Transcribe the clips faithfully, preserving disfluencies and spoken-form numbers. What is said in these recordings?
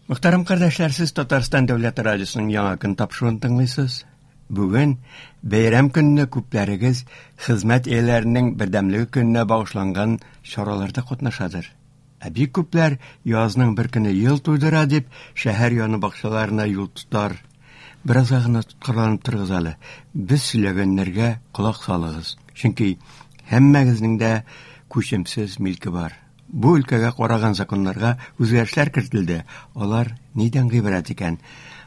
Мөхтәрәм кардәшләр, сез Татарстан Дәүләт радиосының Яңа көн тапшыруын тыңлыйсыз. Бүген бәйрәм көнне күпләрегез хезмәт ияләренең бердәмлеге көненә багышланган чараларда катнашадыр. Ә бик күпләр язның бер көне ел туйдыра дип шәһәр яны бакчаларына юл тотар. Беразга гына тоткарланып торыгыз әле. Без сөйләгәннәргә колак салыгыз. Чөнки һәммәгезнең дә күчемсез милке бар. Бу өлкәгә караган законнарга үзгәрешләр кертелде. Алар нидән гыйбарәт икән?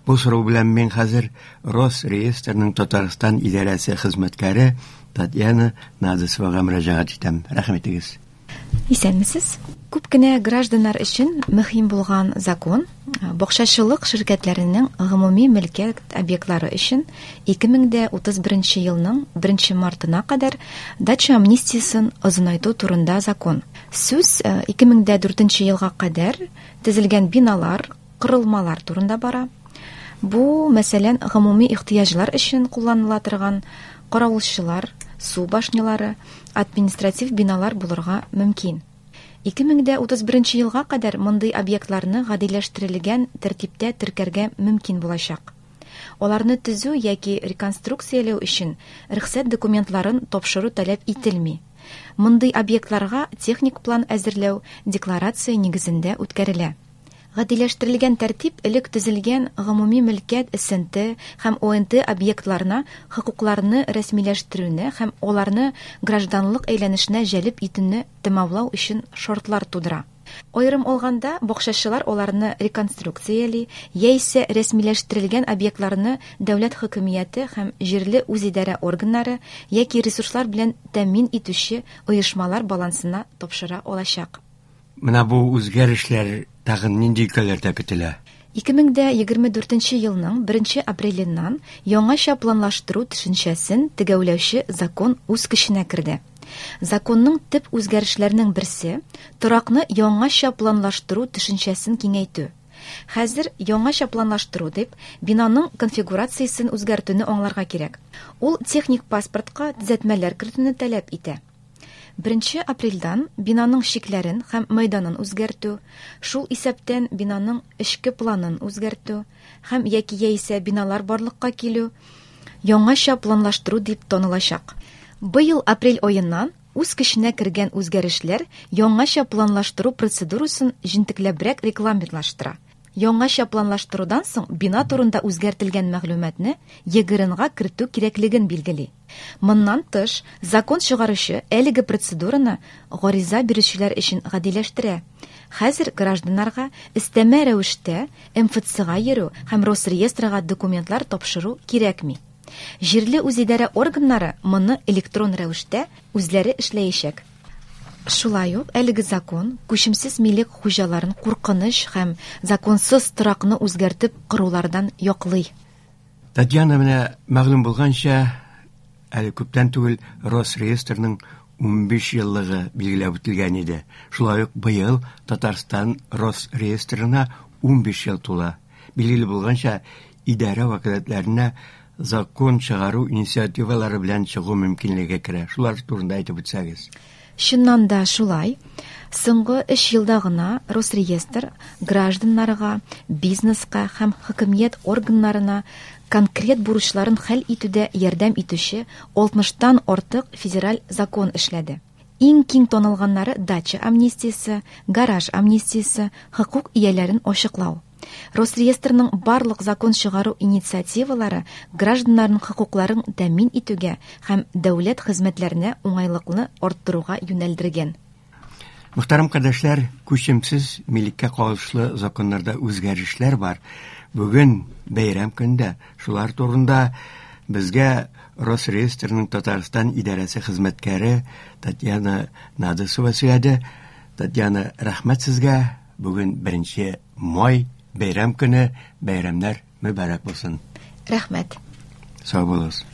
Бу сорау белән мин хәзер Росреестрның Татарстан идарәсе хезмәткәре Татьяна Надысовага мөрәҗәгать итәм. Рәхим итегез. Исәнмесез. Күп кенә гражданнар өчен мөһим булган закон бакчачылык ширкәтләренең гомуми мөлкәт объектлары өчен ике мең дә утыз беренче елның беренче мартына кадәр дача амнистиясен озынайту турында закон. Сүз ике мең дә дүртенче елга кадәр төзелгән биналар, корылмалар турында бара. Бу, мәсәлән, гомуми ихтыяҗлар өчен кулланыла торган каравылчылар, су башнялары, административ биналар булырга мөмкин. Ике мең дә утыз беренче елга кадәр мондый объектларны гадиләштерелгән тәртиптә теркәргә мөмкин булачак. Аларны төзү яки реконструкцияләү өчен рөхсәт документларын тапшыру таләп ителми. Мондый объектларга техник план әзерләү декларация нигезендә үткәрелә. Гадиләштерелгән тәртип элек төзелгән гомуми мөлкәт эс эн тэ һәм о эн тэ объектларына хокукларны рәсмиләштерүне һәм аларны гражданлык әйләнешенә җәлеп итүне тәмамлау өчен шартлар тудыра. Аерым алганда, бакчачылар аларны реконструкцияли яисә рәсмиләштерелгән объектларны дәүләт хөкүмәте һәм җирле үзидарә органнары яки ресурслар белән тәэмин итүче оешмалар балансына тапшыра алачак. Менә бу үзгәрешләр тагын нинди өлкәләрдә көтелә? Ике мең дә егерме дүртенче елның беренче апреленнән яңача планлаштыру төшенчәсен төгәлләүче закон үз көченә керде. Законның төп үзгәрешләренең берсе торакны яңача планлаштыру төшенчәсен киңәйтү. Хәзер яңача планлаштыру дип бинаның конфигурациясен үзгәртүне аңларга кирәк. Ул техник паспортка төзәтмәләр кертүне таләп итә. Беренче апрельдән бинаның чикләрен һәм мәйданын үзгәртү, шул исәптән бинаның эчке планын үзгәртү һәм яки яисә биналар барлыкка килү яңача планлаштыру дип танылачак. Быел апрель аеннан үз көченә кергән үзгәрешләр яңача планлаштыру процедурасын җентекләбрәк регламентлаштыра. Яңача планлаштырудан соң бина турында үзгәртелгән мәгълүматны е гэ эр эн-га кертү кирәклеген билгели. Моннан тыш, закон чыгаручы әлеге процедураны гариза бирүчеләр өчен гадиләштерә. Хәзер гражданнарга өстәмә рәвештә эм эф цэ-га йөрү һәм Росреестрга документлар тапшыру кирәкми. Җирле үзидарә органнары моны электрон рәвештә үзләре эшләячәк. Шулай ук әлеге закон күчемсез милек хуҗаларын куркыныч һәм законсыз торакны үзгәртеп корулардан яклый. Татьяна, менә мәгълүм булганча, әле күптән түгел Росреестрның унбиш еллыгы билгеләп үтелгән иде. Шулай ук быел Татарстан Росреестрына унбиш ел тула. Билгеле булганча, идарә вәкаләтләренә закон чыгару инициативалары белән чыгу мөмкинлеге керә. Шулар турында әйтеп үтсәгез. Чыннан да шулай, соңгы өч елда гына Росреестр гражданнарга, бизнеска һәм хөкүмәт органнарына конкрет бурычларын хәл итүдә ярдәм итүче алтмыштан артык федераль закон эшләде. Иң киң танылганнары дача амнистиясе, гараж амнистиясе, хокук ияләрен ачыклау. Росреестрның барлык закон чыгару инициативалары гражданнарның хокукларын тәэмин итүгә һәм дәүләт хезмәтләренә уңайлыкны арттыруга юнәлдергән. Мөхтәрәм кардәшләр, күчемсез милеккә кагылышлы законнарда үзгәрешләр бар. Бүген бәйрәм көндә шулар турында безгә Росреестрның Татарстан идарәсе хезмәткәре Татьяна Надысова сөйләде. Татьяна, рәхмәт сезгә. Бүген беренче май бәйрәм көне, бәйрәмнәр мөбарәк булсын. Рәхмәт. Сау булыгыз.